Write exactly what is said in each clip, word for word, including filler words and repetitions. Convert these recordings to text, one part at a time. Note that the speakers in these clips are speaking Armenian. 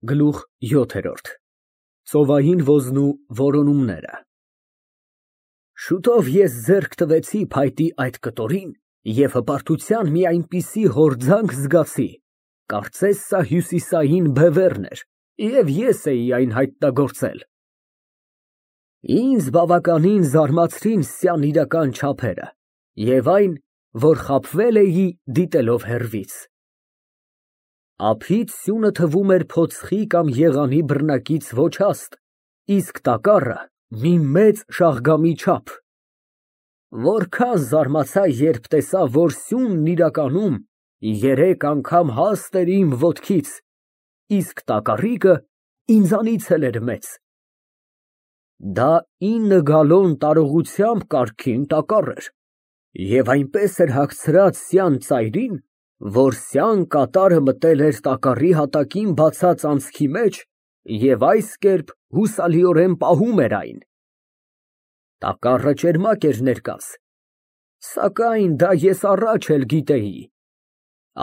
Գլուխ յոթ Ծովային ոզնու որոնումները Շուտով ես ձեռք տվեցի փայտի այդ կտորին և հպարտության մի այնպիսի հորձանք զգացի, կարծես սա հյուսիսային բևեռն էր, և ես էի այն հայտնագործել։ Ինձ բավականին զարմացրին սյան իրական չափերը և այն, որ խաբվել էի դիտելով հեռվից։ Ափից սյունը թվում էր փոցխի կամ եղանի բռնակից ոչ հաստ, իսկ տակառը մի մեծ շաղգամի չափ։ Որքան զարմացա, երբ տեսա, որ սյունն իրականում երեք անգամ հաստ էր իմ ոտքից, իսկ տակառիկը ինձանից էլ էր մեծ։ Դա ինը գալոն տարողությամբ կարգին տակառ էր և այնպես էր հագցրած սյան ծայրին, որ սյան կատարը մտել էր տակառի հատակին բացած անցքի մեջ և այս կերպ հուսալիորեն պահում էր այն։ Տակառը ճերմակ էր ներկած, սակայն դա ես առաջ էլ գիտեի,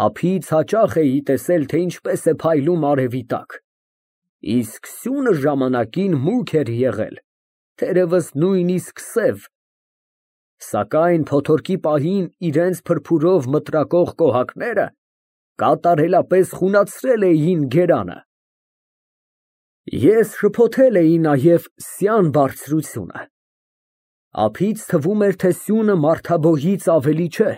ափից հաճախ էի տեսել, թե ինչպես է փայլում արևի տակ, իսկ սյունը ժամանակին մուգ էր եղել, թերևս նույնիսկ սև, սակայն փոթորկի պահին իրենց փրփուրով մտրակող կոհակները կատարելապես խունացրել էին գերանը։ Ես շփոթել էի նաև սյան բարձրությունը, ափից թվում էր, թե սյունը մարդաբոյից ավելի չէ,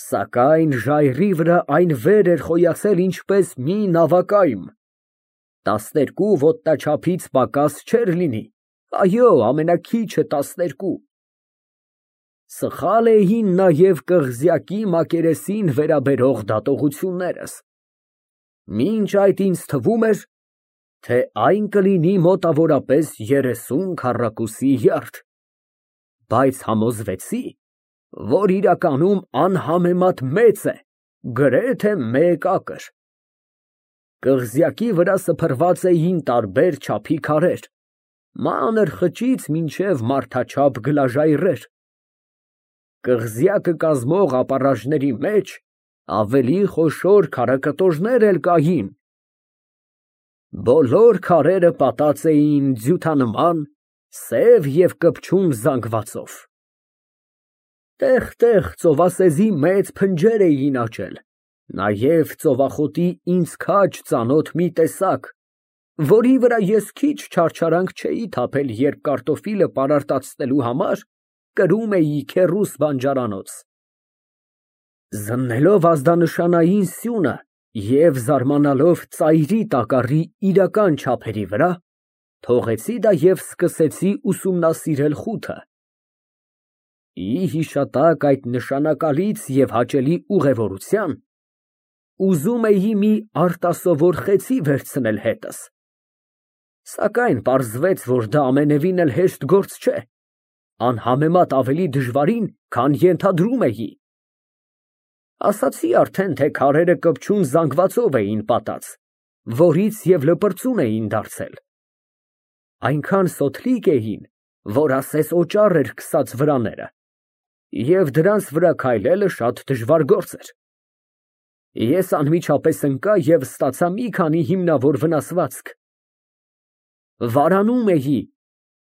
սակայն ժայռի վրա այն վեր էր խոյացել ինչպես մի նավակայմ, տասներկու ոտնաչափից պակաս չէր լինի, այո, ամենաքիչը տասներկու։ Սխալ էին նաև կղզյակի մակերեսին վերաբերող դատողություններս, մինչ այդ ինձ թվում էր, թե այն կլինի մոտավորապես երեսուն քառակուսի յարդ, բայց համոզվեցի, որ իրականում անհամեմատ մեծ է, գրեթե մեկ ակր։ Կղզյակի վրա սփռված էին տարբեր չափի քարեր, մանր խճից մինչև մարդաչափ գլաժայռեր։ Կղզյակը կազմող ապառաժների մեջ ավելի խոշոր քարակտորներ էլ կային։ Բոլոր քարերը պատած էին ձյութանման, սև և կպչուն զանգվածով։ Տեղ֊տեղ ծովասեզի մեծ փնջեր էին աճել, նաև ծովախոտի ինձ քաջ ծանոթ մի տեսակ, որի վրա ես քիչ չարչարանք չէի թափել, երբ կարտոֆիլը պարարտացնելու համար կրում էի քեռուս բանջարանոց։ Զննելով ազդանշանային սյունը և զարմանալով ծայրի տակառի իրական չափերի վրա, թողեցի դա և սկսեցի ուսումնասիրել խութը։ Ի հիշատակ այդ նշանակալից և հաճելի ուղևորության, ուզում էի մի արտասովոր խեցի վերցնել հետս, սակայն պարզվեց, որ դա ամենևին էլ հեշտ գործ չէ, անհամեմատ ավելի դժվարին, քան ենթադրում էի։ Ասացի արդեն, թե քարերը կպչուն զանգվածով էին պատած, որից և լպրծուն էին դարձել։ Այնքան սոթլիկ էին, որ ասես օճառ էր քսած վրաները, և դրանց վրա քայլելը շատ դժվար գործ էր։ Ես անմիջապես ընկա և ստացա մի քանի հիմնավոր վնասվածք։ Վարանում էի,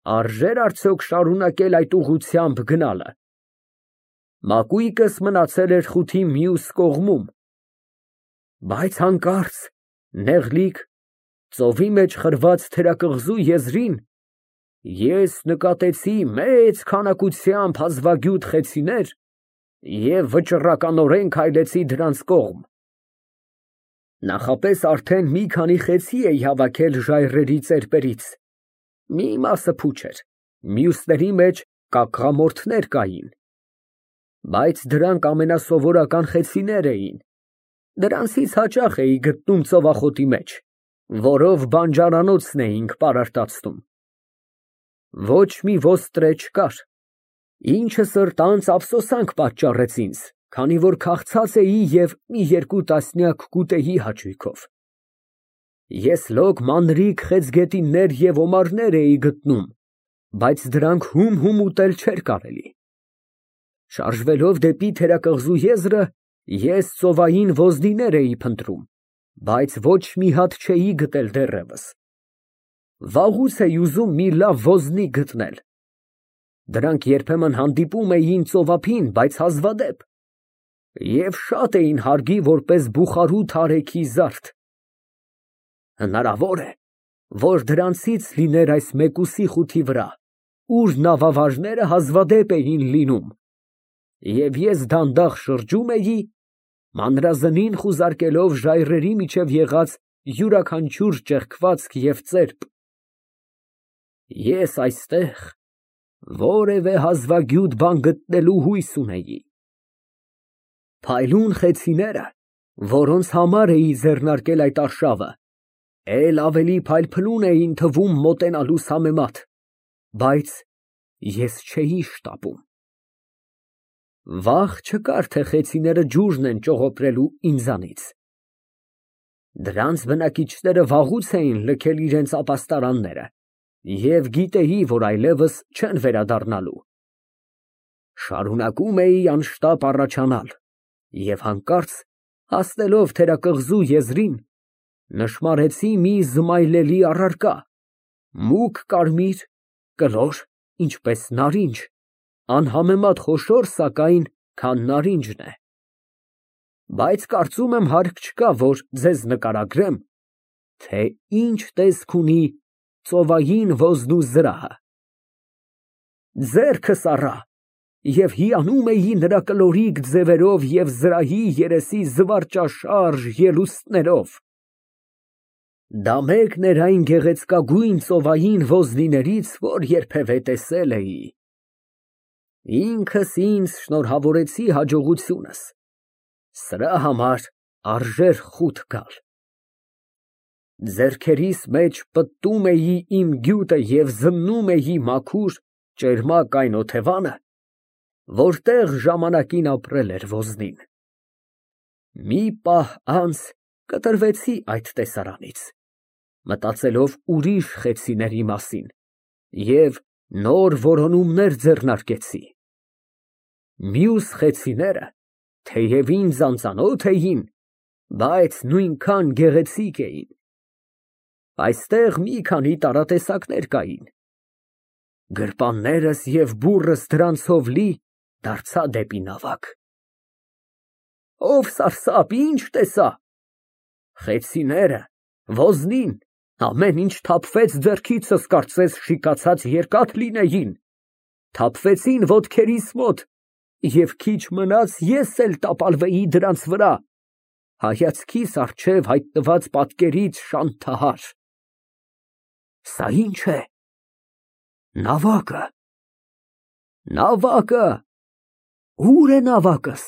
արժե՞ր արդյոք շարունակել այդ ուղղությամբ գնալը։ Մակույկս մնացել էր խութի մյուս կողմում, բայց հանկարծ, նեղլիկ, ծովի մեջ խրված թերակղզու եզրին, ես նկատեցի մեծ քանակությամբ հազվագյուտ խեցիներ և վճռականորեն քայլեցի դրանց կողմ։ Նախապես արդեն մի քանի խեցի էի հավաքել ժայռերի ծեպերից, մի մասը փուչ էր, մյուսների մեջ կակղամորթներ կային, բայց դրանք ամենասովորական խեցիներ էին, դրանցից հաճախ էի գտնում ծովախոտի մեջ, որով բանջարանոցն էինք պարարտացնում։ Ոչ մի ոստրե չկար, ինչը սրտանց ափսոսանք պատճառեց ինձ, քանի որ քաղցած էի և մի երկու տասնյակ կուտեի հաճույքով։ Ես լոկ մանրիկ խեցգետիններ և օմարներ էի գտնում, բայց դրանք հում֊հում ուտել չէր կարելի։ Շարժվելով դեպի թերակղզու եզրը, ես ծովային ոզնիներ էի փնտրում, բայց ոչ մի հատ չէի գտել դեռևս։ Վաղուց էի ուզում մի լավ ոզնիկ գտնել։ Դրանք երբեմն հանդիպում էին ծովափին, բայց հազվադեպ, և շատ էին հարգի որպես բուխարու թարեքի զարդ։ Հնարավոր է, որ դրանցից լիներ այս մեկուսի խութի վրա, ուր նավավարժները հազվադեպ էին լինում, և ես դանդաղ շրջում էի, մանրազնին խուզարկելով ժայռերի միջև եղած յուրաքանչյուր ճեղքվածք և ծերպ։ Ես այստեղ որևէ հազվագյուտ բան գտնելու հույս ունեի։ Փայլուն խեցիները, որոնց համար էի ձեռնարկել այդ արշավը, էլ ավելի փայլփլուն էին թվում մոտենալուս համեմատ, բայց ես չէի շտապում։ Վախ չկար, թե խեցիները ջուրն են ճողոպրելու ինձանից։ Դրանց բնակիչները վաղուց էին լքել իրենց ապաստարանները և գիտեի, որ այլևս չեն վերադառնալու։ Շարունակում էի անշտապ առաջանալ և հանկարծ, հասնելով թերակղզու եզրին, նշմարեցի մի զմայլելի առարկա, մուգ կարմիր, կլոր, ինչպես նարինջ, անհամեմատ խոշոր, սակայն, քան նարինջն է։ Բայց կարծում եմ հարկ չկա, որ ձեզ նկարագրեմ, թե ինչ տեսք ունի ծովային ոզնու զրահը։ Ձեռքս առա և հիանում էի նրա կլորիկ ձևերով և զրահի երեսի զվարճաշարժ ելուստներով։ Դա մեկն էր այն գեղեցկագույն ծովային ոզնիներից, որ երբևէ տեսել էի։ Ինքս ինձ շնորհավորեցի հաջողությունս, սրա համար արժեր խուտ գալ։ Ձեռքերիս մեջ պտտում էի իմ գյուտը և զննում էի մաքուր, ճերմակ այն օթևանը, որտեղ ժամանակին ապրել էր ոզնին։ Մի պահ անց կտրվեցի այդ տեսարանից, մտածելով ուրիշ խեցիների մասին, և նոր որոնումներ ձեռնարկեցի։ Մյուս խեցիները թեև ինձ անծանոթ էին, բայց նույնքան գեղեցիկ էին։ Այստեղ մի քանի տարատեսակներ կային։ Գրպաններս և բուռս դրանցով լի դարձա դեպի նավակ։ Ով սարսափ, ի՞նչ տեսա։ Խեցիները, ոզնին, ամեն ինչ թափվեց ձեռքիցս, կարծես շիկացած երկաթ լինեին, թափվեցին ոտքերիս մոտ, և քիչ մնաց ես էլ տապալվեի դրանց վրա, հայացքիս առջև հայտնված պատկերից շանթահար։ Սա ի՞նչ է։ Նավակը։ Նավակը։ Ո՞ւր է նավակս։